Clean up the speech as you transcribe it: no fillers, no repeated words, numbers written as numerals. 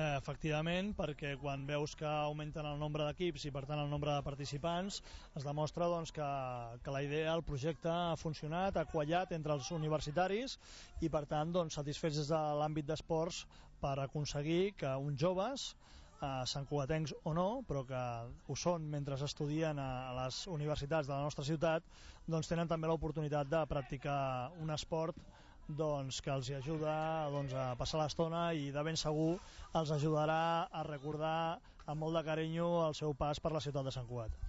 Efectivament, perquè quan veus que augmenten el nombre d'equips i per tant el nombre de participants, es demostra doncs, que la idea, el projecte ha funcionat, ha quallat entre els universitaris i per tant doncs, satisfets des de l'àmbit d'esports per aconseguir que uns joves, santcugatencs o no, però que ho són mentre estudien a les universitats de la nostra ciutat, doncs tenen també l'oportunitat de practicar un esport doncs, que els ajuda doncs, a passar l'estona i de ben segur els ajudarà a recordar amb molt de carinyo el seu pas per la ciutat de Sant Cugat.